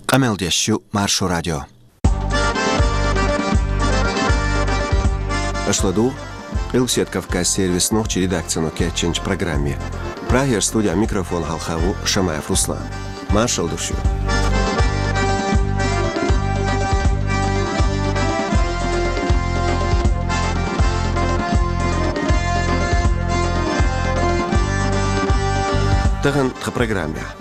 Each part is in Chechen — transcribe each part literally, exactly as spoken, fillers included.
Къамел деш ю Маршо радио. Аша ладугӀу Къилбаседа Кавказан сервисан нохчийн редакцино кечйинчу программе. Прагера студехь микрофон хьалха ву Шамаев Руслан. Маршалла ду шуьга. Тахана тхан программехь.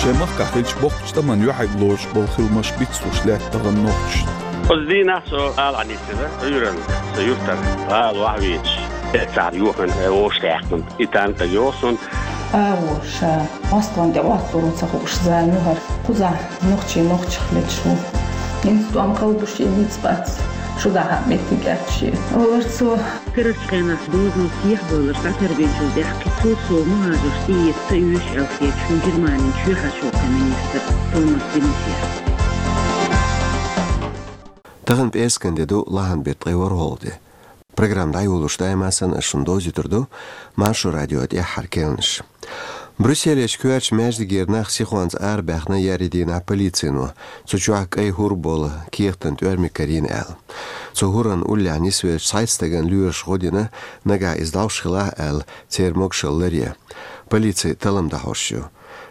Шайн махкахь хиллачу боккхачу тӀамна юьхьиг лоруш болу хиламаш бицлуш лаьтта тахана нохчашна. Оцу дийнахь со ала Ӏанийсира Ӏуьйранна, со юьртара гӀала охьавеача, эццахь йохана вовшахдаьккхина. И танка йогӀу суна. АгӀо ша Москван тӀе Ӏотталур ву ца хууш зама ю хӀара. Кхузахь нохчий нохчех леташ ву. ХӀинца тӀом кхалбуш я ницкъ бац. Шу дахьа меттиг аьтташ я. Олар цо. Карарчу хенахь дозанал сехьабевлларш дӀатарбинчул тӀаьхьа кхин цо сов мухӀажарш тӀеэца ца оьшу аьлла хеташ ву Германин чоьхьарчу гӀуллакхийн министр Томас де Мезьер. Тахана пӀераскан де ду, лахьанан беттан ткъе ворхӀалгӀа де. Программа дӀайолош даима санна ас шуна довзуьйтур ду Маршо радион тӀаьххьара керланаш. Брюсселерчу коьртачу маьждигера нах сихонца арабаьхна еарин дийнахь полицино, цу чохь кӀайн хӀур болу кехатан тӀоьрмиг карийна аьлла. Цу хӀуран уллехь нисвеллачу цхьайтта стагана лоьраша гӀо дина, нагахь иза дӀовш хилахь аьлла, церан могушалла ларъян. Полици таллам дӀахьош ю.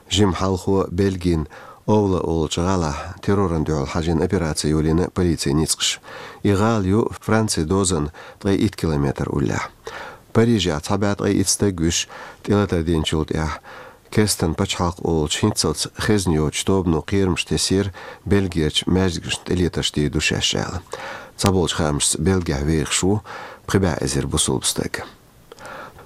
Жимма хьалхо Бельгин Овла олучу гӀалахь террорна дуьхьал хьажийна операци йолийна полицин ницкъаша. И гӀала ю Францин дозанна ткъе итт километр уллехь. Парижехь цхьа бӀе ткъе итт стаг вуьсуш, тӀелатар динчул тӀаьхьа Кестан пачхьалкх олучу хӀинццалц хезна йоцучу тобано кхерамаш тесира Бельгерчу маьждигашна тӀелетарш дийр ду шаьш аьлла. Цхьаболчу хаамашца Бельгехь вехаш ву пхи бӀе эзар бусалба стаг.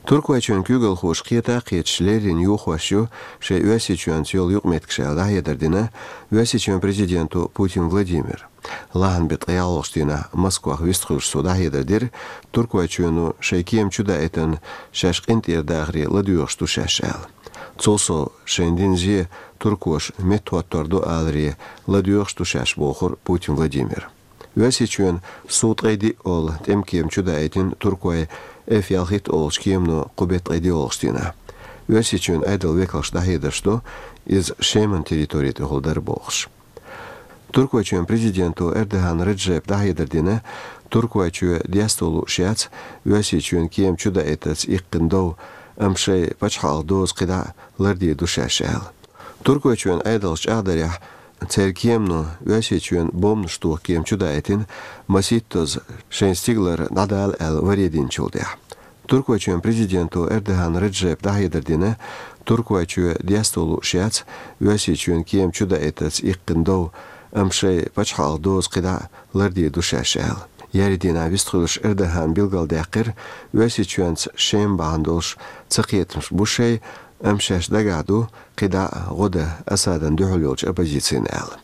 Туркойчоьнан куьйгалхоша кхета а кхеташ леррина юхош ю шайн Оьрсийчоьнца йолу юкъаметтигаш аьлла дӀахьедар дина Оьрсийчоьнан президенто Путин Владимира. Лахьанан беттан ткъе ялхалгӀачу дийнахь Москвахь вистхуьлуш цо дӀахьедар дира, Туркойчоьно шайн кема чудаийтина шаьш къинтӀера дахаре ладоьгӀуш ду шаьш аьлла. Цул сов шайна дина зе туркоша меттахӀоттор ду аларе ладоьгӀуш ду шаьш бохура Путин Владимира. Оьрсийчоьнан Су ткъе диъ олу тӀемкема чудаийтина туркойн Ф ялхитта олучу кемано кху беттан ткъе диъалгӀачу дийнахь. Оьрсийчоьнан Ӏедалан векалша дӀахьедарш до, иза Шеман территори тӀехула дара бохуш. Туркойчоьнан президенто Эрдоган Реджепа дӀахьедар дина, Туркойчоь десто лууш яц Оьрсийчоьнан кема чудаийтарца иккхина дов, амма шайн пачхьалкхан доза кхидӀа лардийр ду шаьш аьлла. Туркойчоьнан Ӏедалша чӀагӀдарехь, церан кемано Оьрсийчоьнан бомбанаш тоха кема чудаийтина, масийттазза шайн стигалара дӀадала аьлла варе динчул тӀаьхьа. Туркойчоьнан президенто Эрдоган Реджепа дӀахьедар дина, Туркойчоь десто лууш яц Оьрсийчоьнан кема чудаийтарца иккхина дов, амма шайн пачхьалкхан доза кхидӀа лардийр ду шаьш аьлла. Еарин дийнахь вистхуьлуш Эрдогана билгалдаьккхира, Оьрсийчоьнца Шема бахьана долуш цакхетамаш бу шайн, амма шаьш дагахь ду кхидӀа гӀо дан Асадан дуьхьал йолчу оппозицина аьлла.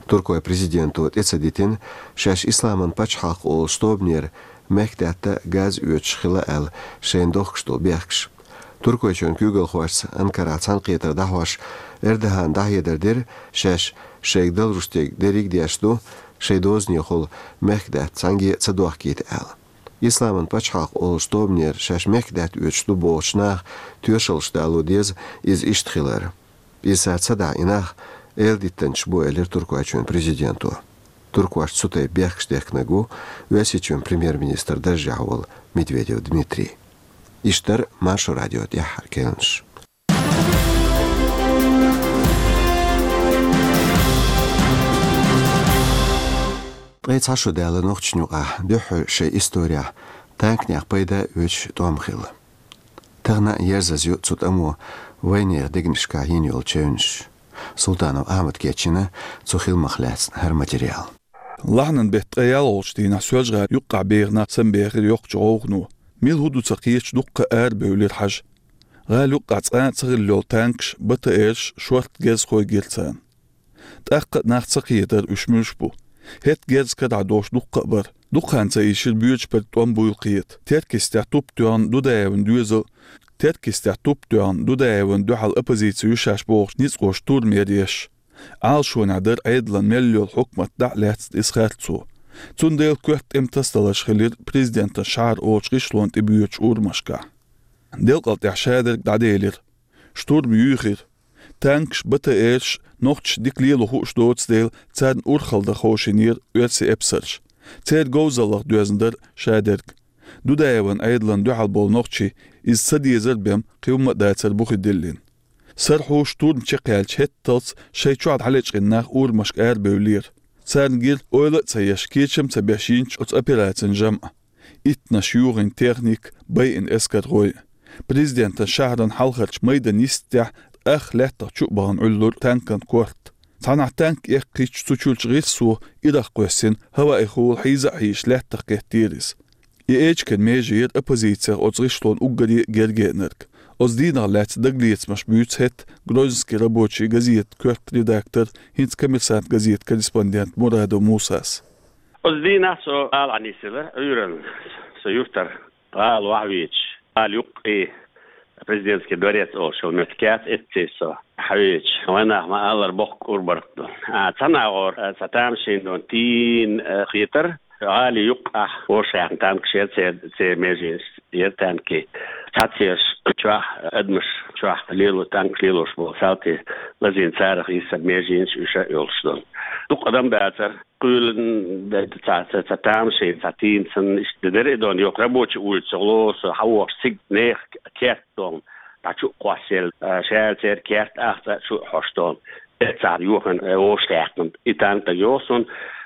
Туркойн президенто тӀе ца дитина, шаьш Исламан пачхьалкх олучу тобанера мехкадаьтта газ оьцуш хила аьлла шайна дохкуш долу бехкаш. Туркойчоьнан куьйгалхошца Анкарахь цхьаьнакхетар дӀахьош, Эрдогана дӀахьедар дира, шаьш шайга далурш дерг дерриг а деш ду, шайн дозанехула мехкадаьтта цхьаьнгге а ца дохкийта аьлла. Исламан пачхьалкх олучу тобанера шаьш мехкадаьтта оьцуш ду бохучу наха тоьшаллаш дало деза иза иштта хилар. Иза цара ца дахь, и нах эладиттанчаш бу, элира Туркойчоьнан президенто. Туркошна цу тайпа бехкаш дехкинарг ву Оьрсийчоьнан премьер-министран даржехь волу Медведев Дмитрий. Иштта дара Маршо радион тӀаьххьара керланаш. Ткъе цхьа шо даьлла нохчашна юкъахь дуьххьара шайн исторехь танканех пайда оьцуш тӀом хилла. Тахана а ерзаза ю цу тӀамо вайнехан дегнашкахь йина йолу чевнаш. Султанов Ахьмада кечйина цу хиламах лаьцна хӀара материал. Лахьанан беттан ткъе ялхалгӀачу дийнахь Соьлжа-ГӀалин юккъехь беха нах самабехира йоккхачу гӀовгӀано. Мила хӀун ду ца кхеташ, дуккха а арабевлира хьажа. ГӀала юккъехь цкъа а ца хилла йолу танкаш, БТР-ш, шортта герз хойгира царна. ТӀаккха а нах ца кхетара, уьш муьлш бу. ХӀетахь герз карахь долуш дуккха а бара. Дукха хан ца ийшира боьдучу пурба тӀом буйла кхета. Теркйистехь туп тоьхна Дудаевн доьзал, Теркйистехь туп тоьхна Дудаевн дуьхьал оппозици ю шаьш бохучу ницкъаша турмера еш. Ӏалашонехь дара Ӏедалан мел йолу хьукмат дӀа а лаьцна иза харцо. Цундела коьрта тӀеман тасадаларш хилира президентан шахьар олучу гӀишлонна тӀебоьдучу урамашкахь. Делкъал тӀехь шадерг дӀаделира. Штурм юьйхира. Танкаш, БТР-ш нохчашта дика лело хууш доцу дела, царна урхалла дан ховшийнера оьрсийн эпсарш. Церан говзаллах доьзна дара шадерг. Дудаевн Ӏедална дуьхьал болу нохчий иза ца дезар бен кхин хӀумма а дацара бухе диллина. СархӀу, штурм чекхъяьлча хӀетталц шайн чохь дӀалечкъина нах урамашка арабевллера. Царна гира ойла а ца еш, кечам а ца беш йинчу оцу операцин жамӀ. Иттанаш юхийна техника, байина эскархой. Президентан шахьаран хьалхарчу майдан йистехь ах лаьттах чу а бахана Ӏуьллура танкан корта. Цхьанхьа танк эккхийтча, цу чуьрачу гӀирсо ирах кхоьссина, хӀаваъ хула хьийза а хьийзаш, лаьттах кхеттера иза. И эчиган меже яра оппозицех оцу гӀишлонна уггаре а герга еанарг. Оцу дийнах лаьцна дагалецамаш буьйцу хӀетахь «Грозненский рабочий» газетан коьрта редактор, хӀинца «Коммерсант» газетан корреспондент Мурадов Мусас. Оцу дийнахь со гӀала Ӏанисилар Ӏуьйранна, со юьртара гӀала вахьа веача, гӀала юккъе Президентский дворец олуш йолу меттиг яц, эццехь со хьавеача, вайнах ма-аллара бохку ур-барт ду. А, цхьана агӀор, а, цхьа тамашийна дона тийна, а, хетара, гӀали юккъехь вовшахкхетта танкаш яра, церан, церан меженаш яра танки. Цхьаццаерш чохь, адамаш чохь лело, танкаш лелош болу салти лазийна, царах йисина меженаш уьш а йолуш дона. Дукха адам дацара. Кхуьйлан ца, ца, ца тамашийна, ца тийна санна, иштта дара и дона, йоху рабочий улица гӀо со хьавогӀуш, цига нехан керт дона, дӀа чу а кхоссаелла, а, шаьлла церан керт ахча чу а хьош дона. Эццахь юхана, э, вовшахкхетта и танк дагайогӀу суна,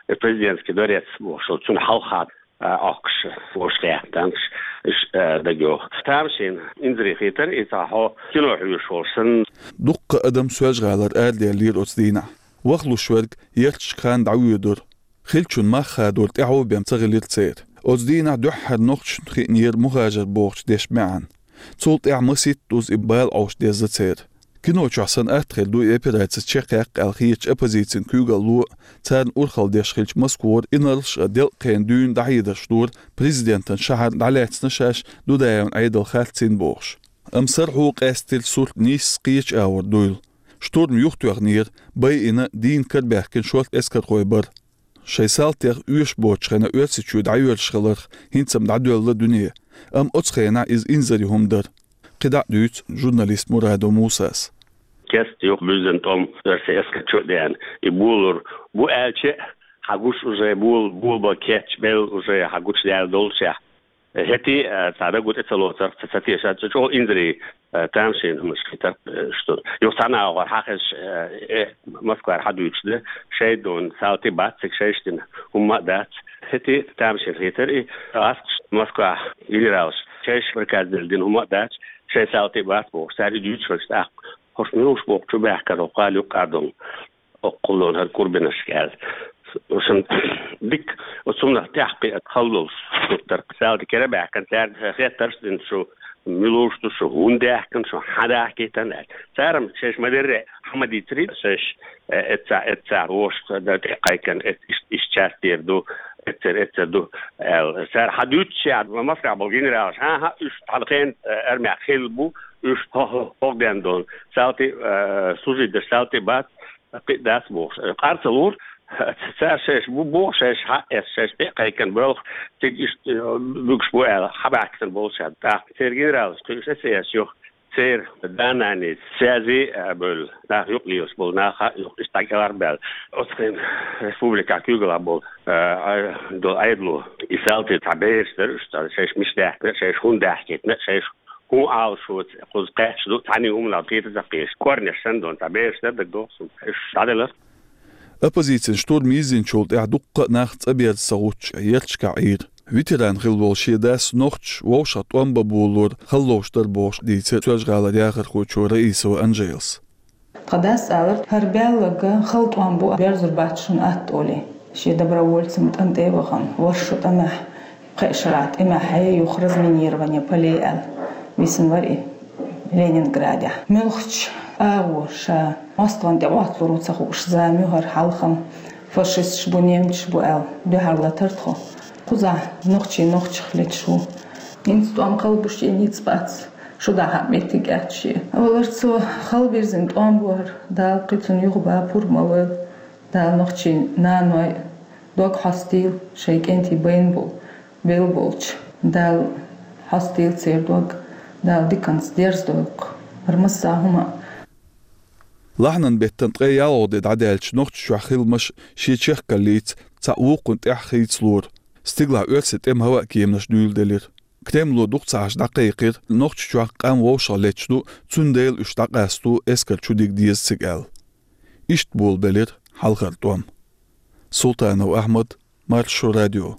э, Президентский дворец бохуш, цунна хьалха, а, Ӏохкуш вовшахкхетта танкаш, уьш, э, дагайогӀу. Тамашийна инзаре хетара и, цхьа хьо кино хьоьжуш волуш санна. Дуккха адам Соьлжа-ГӀалара арадаьллера оцу дийнахь. Вахлуш верг ярташка хан дӀавоьдура. Хиллачун мах хадор тӀаьхьо бен ца хилира церан. Оцу дийнахь дуьххьара нохчашна хиънера мухажар бохучу дешан маьӀна. Цул тӀаьхьа масийтта уза и бала Ӏовшадезна церан. Кино чохь санна атта хир ду и операци чекхъяккха аьлла хетачу оппозицин куьйгалло а, царна урхалла деш хиллачу Москвара инарлаш а делкъахена дуьйна дӀахьедарш дора президентан шахьар дӀалаьцна шаьш Дудаевн Ӏедал харцийна бохуш. Амма СархӀу къаьстира сурт нийсса кхечу агӀор дуйла. Штурм юхатоьхнера, байина, дийна карабаьхкина шорта эскархой бара. Шайн салтех оьшуш боцучу хенахь Оьрсийчоь дӀайоьллуш хиларх хӀинца-м дӀадоьлла дуьне, амма оцу хенахь иза инзаре хӀума дара. КхидӀа а дуьйцу журналист Мурадов Мусас. Кеста юха буьззина тӀом оьрсийн эскарчо а деана, и болор бу аьлча а, хьан гуш уже бул-, булба кечбелла уже хьан гучудаьлла доллушехь. ХӀетий, а, цхьа дагу тӀе ца лоцарх, ца, ца тешарх, чӀогӀа инзаре, а, тамашийна хӀуманаш хетара, а, что. Юха цхьана агӀор хьан хезаш, а, э, Москвара хьан дуьйцуш дан, шайн дона салти бац цига, шайша дина хӀумма а дац. ХӀетий тамашийна хетара и, гӀаскхаш Москвахь генералаш, шайша приказ делла дина хӀумма а дац, шайн салти бац бохуш, цара и дуьйцуш хилча тӀаккха. ХӀорш муьлш боху чу баьхкара хӀокху гӀала юккъе дона. Оккхул дона хӀара курбинашка аьлла. Шун дика, оцу хӀуманах тӀаьхьакхиа хала долуш, суртаркх, салти кера а баьхкина, цаьрга хеттарш а дина, шу муьлш ду, шу хӀунда даьхкина, шу хьан дахкийтина аьлла. Цара-м шайша ма-дарра хьан ма дийцарий, шайша, э, эццахь, эццахь вовшах дан тӀе а кхайкхина, эц-, иш-, иштта часть тӀера ду, эццара, эццара ду аьлла. Цара хьан дуьйцучехь, Москвахь болу генералаш, хӀан-хӀа, уьш тхьана хенан, э, армехь хилла бу, уьш хӀо-, хӀо-, хӀокху ден дона. Салти, э, служить дерш салти бац, кхин а дац бохуш. Къар ца лура, цара шайша бу боху, шайша хьаэцна, шайша тӀе а кхайкхина боьлху, цига иштта, э, буьгуш бу аьлла, хьан баьхкина боллушехь. ТӀаккха церан генералаш кхуьуш эсэшца юха, церан да-нанийца связи а бевлла, нах юкъа лелаш болу нах а юха иштта дӀакӀелхьарбаьлла. Оцу хенахь республикехь куьйгалхь болу, э, Ӏе-, долу Ӏедало и салти цхьа бераш дара уьш, цхьа шайша мича даьхкина, шайша хӀунда даьхкийтина, шайша хӀун Ӏалашоца кхуза кхаьчна ду, цхьанний хӀуманах кхета ца кхеташ, корнеш санна дона цхьа бераш дара, дагадогӀу суна. Уьш дӀаделара. Оппозицин штурм йиззинчул тӀаьхьа дуккха а нах цӀа берза ца гӀуттуш, ярташкахь Ӏийра. Ветеран хилла волу шен дас нохчаша вовшах тӀом бан болалора хала ловш дара бохуш дийцира Соьлжа-ГӀалара яхархочо Раисова Анжелас. Тхан дас алара, хӀара баьлларг хала тӀом бу, берзур бац шуна атта олий. Шен добровольцийн тӀам тӀе а вахана, ворхӀ шо тӀамехь, пхеа шарахь тӀамехь хье юха разминирование полей аьлла висина вара и Ленинградехь. Муьлххачу агӀо ша мостагӀна тӀе Ӏотталур ву ца хууш зама ю хӀара хьалха-м, фашисташ бу, немцаш бу аьлла, дуьхьал латара тхо. Кхузахь нохчий нохчах леташ ву. ХӀинца тӀом кхалбуш а ницкъ бац, шу дахьа а меттиг яц шен. Валар цо хала вирзина тӀом бу хӀара, Дала кхин цунна юха бан пурба ма лойла. Дала нохчийн наной дог хьостийла, шайн кӀентий байна болу, белла болчу. Дала хьостийла церан дог, Дала диканца дерзадойла кху хӀара массо а хӀума. Лахьанан беттан ткъе ялхалгӀа де дӀадаьлча Нохчийчохь хиламаш шен чехкаллица цхьа вукхун тӀехь хийцалора. Стигалахь оьрсийн тӀеман хӀаваан кеманаш дуьйладелира. Кремло дукха ца Ӏаш дӀакхайкхира, Нохчийчохь къам вовшах летташ ду, цундела уьш дӀакъасто, эскар чудига деза цига аьлла. Иштта болабелира хьалхара тӀом. Султанов Ахьмад, Маршо радио.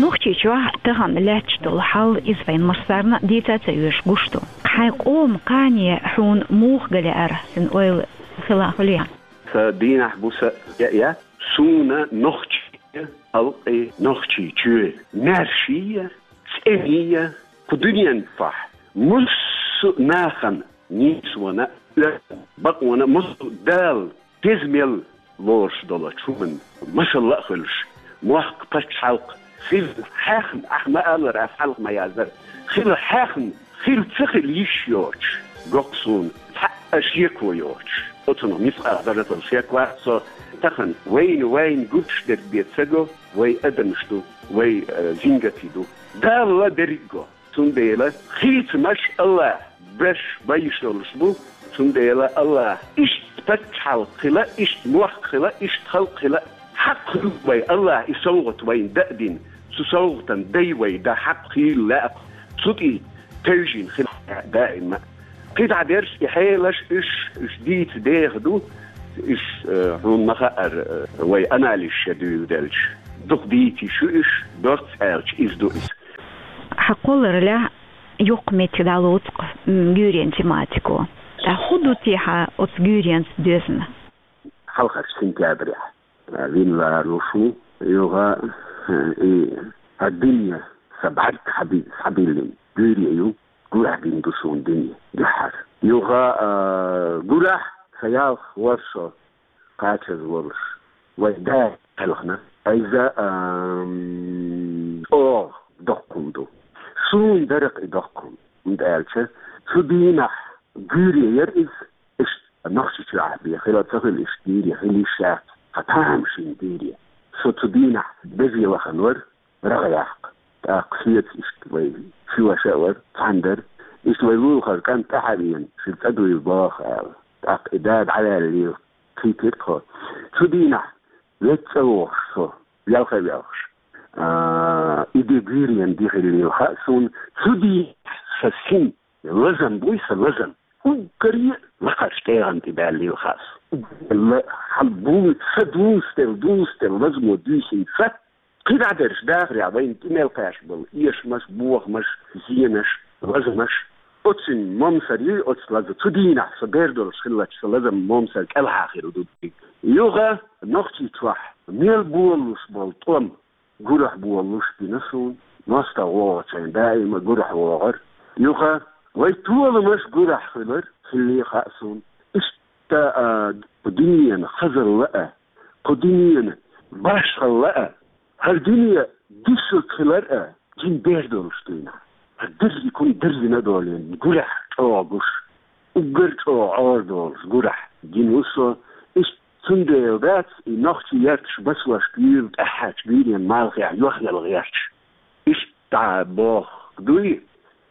Нохчийчохь тахана лаьтташ долу хьал, иза вайн массарна дийца ца оьшу гуш ду. Хьайн къоман кхане хьуна муха галаьара, цуьнан ойла хила хьулъян? Сан дийнахь бу са яа, суна нохчийн халкъе, нохчийн чоь, маьршийя, цӀенийя, кху дуьнен чохь массо а нахана, нийсонан, оьрсийн бакъонан, массо а Дала деза мел лоруш долчу хӀуманна масалла а хуьлуш, мохк, пачхьалкх хила хьехна, ахь ма-аллара, ас хьалха ма-яздара, хила хьехна, хила ца хила йиш йоцуш, гохку суна, цхьа а шеко йоцуш. Оцунах мискъал зарратал шек вац со. Тахана вайна, вайна гуш дерг бен ца го, вай адамаш ду, вай, э, жингатий ду. Дала берриг го. Цундела хийцамаш Аллахь беш, беш йолуш бу, цундела Аллахь иштта пачхьалкх хила, иштта мохк хила, иштта халкъ хила, хьакъ хуьлу вай, Аллахь и совгӀат вайна дан а дина, цу совгӀатан дай вай дан хьакъ хийла лаьа, цу тӀе тевжина хила даима. КхидӀа дерш и хьелаш, уьш, уьш дийца деха ду, уьш, э, хьуна ма хаъара, э, вай анализаш дуьйладелча. Дукха дийца йиш ю уьш, доцца аьлча, иза ду иза. Хьан кхоллараллехь, юккъе меттиг дӀалоцу-кх, м, гуьйренан тематико. Ткъа хӀун ду те хьан оцу гуьйренца доьзна? Хьалхарчу сентябрехь, а, вина лоруш ву, юха, а, и хӀара дуьне сан бӀаьрг схьаби-, схьабиллина гуьйре ю, гурахь бина ду суна дуьне дуьххьара. Юха, а, гурахь сан ялх ворхӀ шо кхачаза волуш, вай да кхелхина. Иза, ам, чӀогӀа доккха хӀума ду. Суна дара-кх и доккха хӀума, хӀунда аьлча цу дийнахь гуьйре яра иза, иштта Нохчийчохь бен хила ца хила иштта гуьйре хила йиш яц, хьан тамашийна гуьйре. Со цу дийнахь безе лахана вара, рагӀ яккха. ТӀаккха соьца иштта вай ши ваша а вара, цхьаьна дара. Иштта вай лулахара кӀант тӀаьхьа веана, шуьга цӀа дуйла боху аьлла. ТӀаккха и да дӀаваьллийла, кхийтира тхо. Цу дийнахь вега цӀа вогӀуш со, велха а велхаш, а, и де гуьйренан де хиллийла хаьа суна. Цу дийнахь сан син лазам буй, сан лазам. Уггаре лакхарчу тӀегӀан тӀе баьллийла хаьа суна. Уггаре ла-, хьан бу-, сан дустел, дустел лазамо дуьйсина сан. КхидӀа дерш дахарехь вайна тӀе мел кхаьчна болу эшамаш, бохамаш, зенаш, лазамаш. Оцу момсар юй, оцу лаза. Цу дийнахь со бер долуш хиллачу сан лазам, момсар кӀелхьа хир ду. Юха Нохчийчохь мел болуш болу тӀом гурахь болуш бина суна. МостагӀа вогӀучу хенахь даима гурахь вогӀура. Юха вай толамаш гурахь хилар хиллий хаьа суна. Иштта, а, дуьненан хазалла а, кху дуьненан башхалла а, хӀара дуьне дисург хилар а, жин бер долуш дуьйна. ХӀара дерриг хӀума дерзина а долийна, гурахь чӀогӀа гуш, уггар чӀогӀа Ӏора долуш гурахь гина ву со. Иштта цундела дац и нохчий ярташ басошка юьйла тӀаьхьарчу гуьйренан малхехь йохъяла гӀерташ. Иштта боху дуй,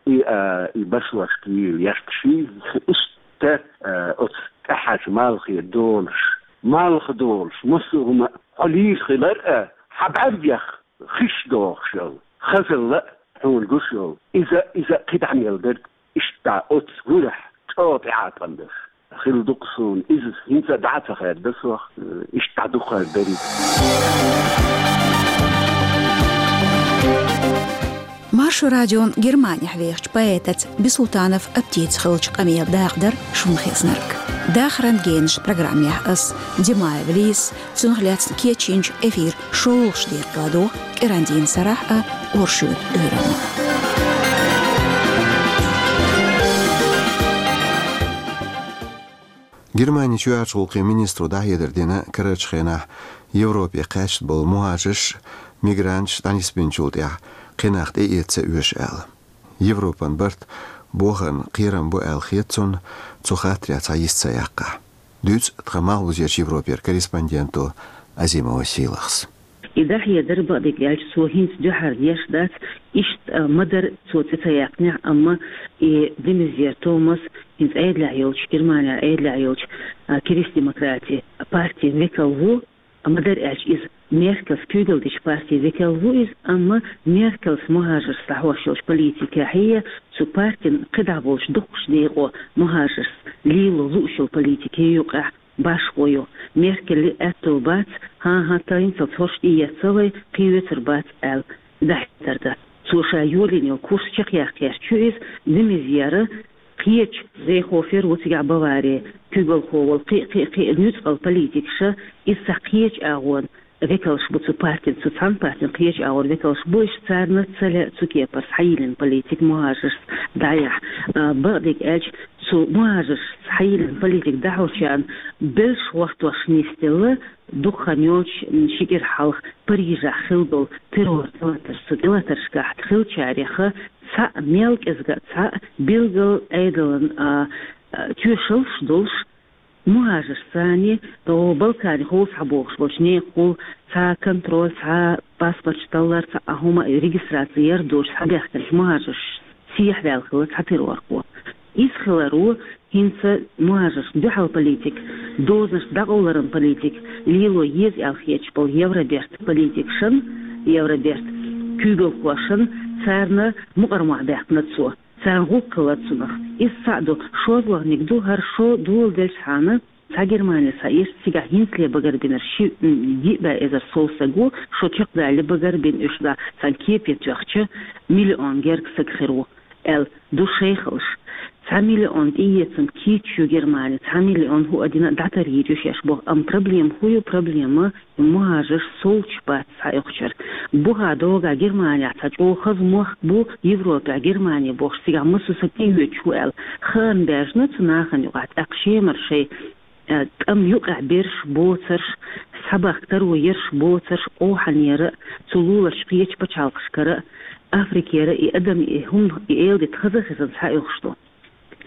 и, а, и басошка юьйла ярташий, иштта, а, оцу тӀаьхьарчу малхе долуш, малх долуш, массо а хӀума хьо лийр хилар а, хьан бӀаьргех хиш дохуш йолу хазалла а хьуна гуш йолу. Иза, иза кхидӀа мел дерг, иштта оцу гурахь чӀогӀа тӀеӀаткъам дерш хилла ду-кх суна. Иза хӀинца а дӀа а ца хаьдда сох, иштта дӀа дукха хир дерг. Маршо радион Германехь вехачу поэтаца Бисултанов Аптица хиллачу къамелан дакъа дара шуна хезнарг. Дахаран генаш программехь ас, Димаева Лиза, цунах лаьцна кечйинчу эфиран шолгӀачу декъе ладогӀа кӀиран дийнан сарахь а, оршотан уьйранна. Германин чоьхьарчу гӀуллакхийн министро дӀахьедар дина карарчу хенахь Европе кхаьчна болу мухӀажарш, мигранташ дӀанисбинчул тӀаьхьа кхин нах тӀеэца ца оьшу аьлла. Европан барт бохарна кхерам бу аьлла хета цунна цу хаттарехь цхьа йист ца яккхахь. Дуьйцу тхан Малхбузерчу Европера корреспонденто Азимова Сийлахьас. И дӀахьедар, бакъдерг аьлча, цо хӀинца дуьххьара деш дац, Иштта, а, ма дарра цо цӀи ца яьккхинехь, амма и де Мезьер Томас, хӀинца Ӏедалехь йолчу, Германехь Ӏедалехь йолчу, а, Кристдемократийн партин векал ву, ма дарра аьлча, иза Меркелс куьйгалла дечу партин векал ву иза, амма Меркелс мухӀажаршца дӀахьош йолчу политикехь, цу партин кхидӀа болчу дукхачу декъо мухӀажаршца лело лууш йолу политикин юкъахь башхо ю. Меркеле аьтто бац, хӀан-хӀа, тайна ца хӀорш тӀеэцна вай, кхин оьцур бац аьлла, дӀахӀиттар дан. Цо ша йолийна йолу курс чекхъяккха гӀерташ ю иза, де Мезьер, кхечу, Зейхофер ву цигахь Бавари, куьйгалхо волу, кхин а, кхин а, кхин а нуьцкъала политикаша, иза цхьа кхечу агӀонан векалш бу цу партин, цу цхьана партин кхечу агӀор векалш бу, иштта царна ца лаьа цу кепара схьайиллина политика мухӀажаршца дӀаяхьа. А, бакъдерг аьлча, цу мухӀажаршца схьайиллина политика дӀахьочарна белш гӀортош нисделла, дукха хан йоцуш, м, ши кӀира хьалха Парижехь хилла долу террор тӀелатарш, цу тӀелатаршкахь хиллачарех цхьаъ, мел кӀезга а цхьаъ, билггал Ӏедалан, а, а, тоьшаллаш долуш, мухӀажарш царний, о, Балканехула схьабогӀуш болчу некъахула цхьа контроль, цхьа паспорташ таллар, цхьа а хӀума, регистраци яр доцуш схьабаьхкинчу мухӀажаршна сехьаваьлла хилла цхьа террорхо. Иза хилар ву хӀинца мухӀажаршна дуьхьал политика, дозанаш дӀакъовларан политика лело еза аьлла хеташ болу Евробертан политикашна, Евробертан куьйгалхошна, царна мукъар мохь баьккхина цо. Царна гӀуллакх хилла цунах. Иза цхьаъ ду, шозлагӀниг ду, хӀара шо доладелчхьана, цхьа Германи схьаэцча, цигахь хӀинцале багарбинарш ши, м, диъ бӀе эзар сов стаг ву, шо чекхдалале багарбина уьш, да, царна кепе тоьхча, миллион герга стаг хир ву, аьлла, ду шайхалш. Цхьа миллион тӀеэцам кийча ю Германи, цхьа миллион хӀуъа дина а дӀатарйийр ю шаьш боху. Амма проблема хӀун ю? Проблема мухӀажарш совцуш бац схьаоьхучара. Бухахь догӀу Германехь цхьа чӀогӀа хаза мохк бу, Европехь Германи бохуш, цигахь массо а стаг тӀеоьцуш ву аьлла. Хаам баьржина цу нахана юкъахь, тӀаккха Шемара шайн, э, тӀам юкъахь берш боцарш, схьабахка таро ерш боцарш, къохьанера а, цу луларчу кхечу пачхьалкхашкара а, Африкера а и адам, и хӀума, и эладита хаза а хезна схьаоьхуш ду.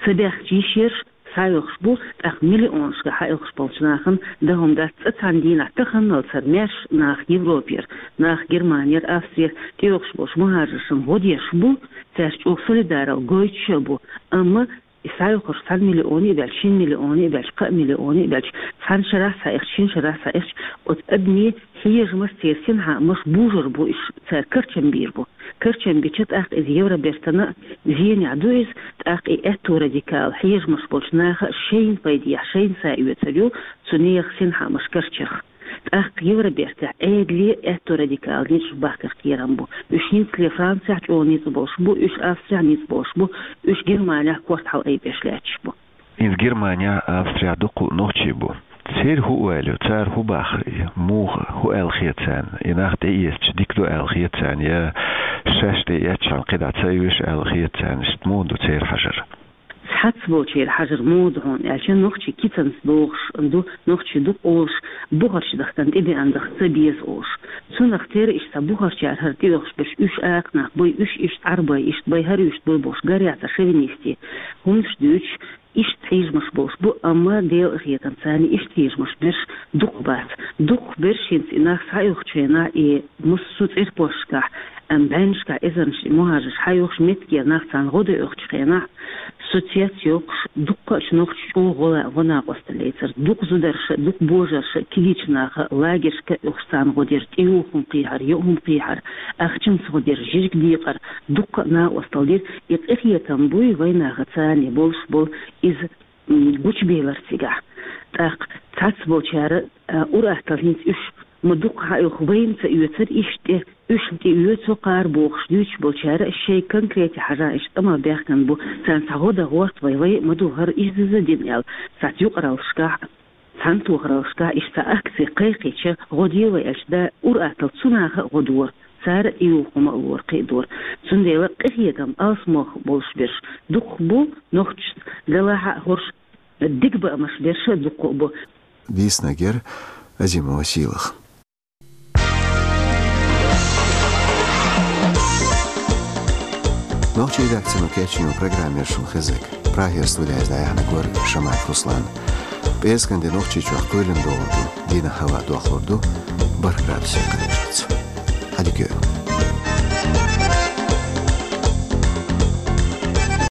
Ца баьхкича йиш ерш схьаоьхуш бу, тӀаккха миллионашкахь схьаоьхуш болчу нахана дан хӀума дац. Цкъа цхьана дийнахь таханалцара маьрша нах Европера, нах Германера, Австрера тӀеоьхуш болчу мухӀажаршна гӀо деш бу, цаьрца чӀогӀа солидарал гойтуш а бу, амма и схьаоьхурш цхьана миллионе а баьлча, шина миллионе а баьлча, кхаа миллионе а баьлча, цхьана шарахь схьаэхча, шина шарахь схьаэхча, оцу адамийн хьежамаш, церан синхаамаш бужур бу, уьш цара карчам бийр бу. Карчам бича, тӀаккха иза Евробертана а зенехь ду иза, тӀаккха и аьтту радикал хьежамаш болчу наха а шайна пайдехь, шайна са оьцур ю цу нехан синхаамаш карчарх. ТӀаккха Евробертехь Ӏедале а аьтту радикал низамаш бахкар кхерам бу. Уьш хӀинцале Францехь чӀогӀа ницкъ болуш бу, уьш Австрехь ницкъ болуш бу, уьш Германехь корта хьалаайбеш лаьтташ бу. Иза Германехь, Австрехь дуккха а нохчий бу. Церан хӀун ойла ю, цара хӀун боху, муха, хӀун аьлла хета царна? И нах тӀеэцча дика ду аьлла хета царна, я шаьш тӀеэцчхьана кхидӀа ца оьшу аьлла хета царна, иштта муха ду церан хьажар? Цхьаццаболчеран хьажар муха ду хьуна аьлча, нохчий кицанца догӀуш ду, нохчий ду къолуш, бухарчу дахкана тӀебеана дахка ца беза олуш. Цунах тера иштта цхьа бухарчара хӀара тӀеоьхуш берш, уьш акха нах бай, уьш иштта Ӏарбой, иштта бай, хӀара иштта бай бохуш, гарехь цхьа шовинистийн хӀуманаш дуьйцуш, иштта хьежамаш болуш бу, амма Делан къинхетамца царна иштта хьежамаш берш дукха бац. Дукха берш хӀинца и нах схьаоьхучу хенахь, и массо а цӀерпошкахь, ам, бӀеннашкахь, эзарнаш и мухӀажарш схьаоьхуш, меттигера нах царна гӀо дан оьхучу хенахь, соцсеташ йоккхуш, дуккха а нохчаша чӀогӀа гӀо-, гӀо-накъосталла лецира. Дукха зударша, дукха божарша, кегийчу наха, лагершка а оьхуш царна гӀо дира, тӀеюху хӀума кхехьара, йоу хӀума кхехьара, ахчанца гӀо дира, жижиг декъар, дуккха а накъосталла дира. И къинхетам буй вайнаха царна болуш болу иза м, гучубелар цигахь. ТӀаккха цхьаццаболчара, а, ур-атталла хӀинца уьш ма дукха хьаоьху, вайна ца оьцура иштта тӀе, уьш тӀеоьцу кхара бохуш дуьйцуш болчара шайн конкрете хьажа иштта къамел баьхкина бу, царна цхьа гӀо дан гӀорта вай, вай ма ду хӀара иза-иза дина аьлла, цхьацца юкъараллашкахь, цхьана тохараллашкахь иштта цхьа акци кхайкхича, гӀо де вай аьлча, да, ур-атталла цу наха а гӀо дора. Цара а тӀеюху хӀума а лора, кхин а дора. Цундела къинхетам алсамох болуш берш дукха бу, нохчашца делахь а хӀорш дика баамаш берш а дукха бу. Дийцинарг яра Азимова Сийлаха. Нохчийн редакцино кечйина программа яра шуна хезнарг. Прагера студехь дӀаяьхьнарг вара Шамаев Руслан. ПӀераскан де Нохчийчохь кхоьлина догӀур ду, дийнахь хӀаваъ дохлур ду бархӀ градусе кхаччалц. Хьан дика йойла.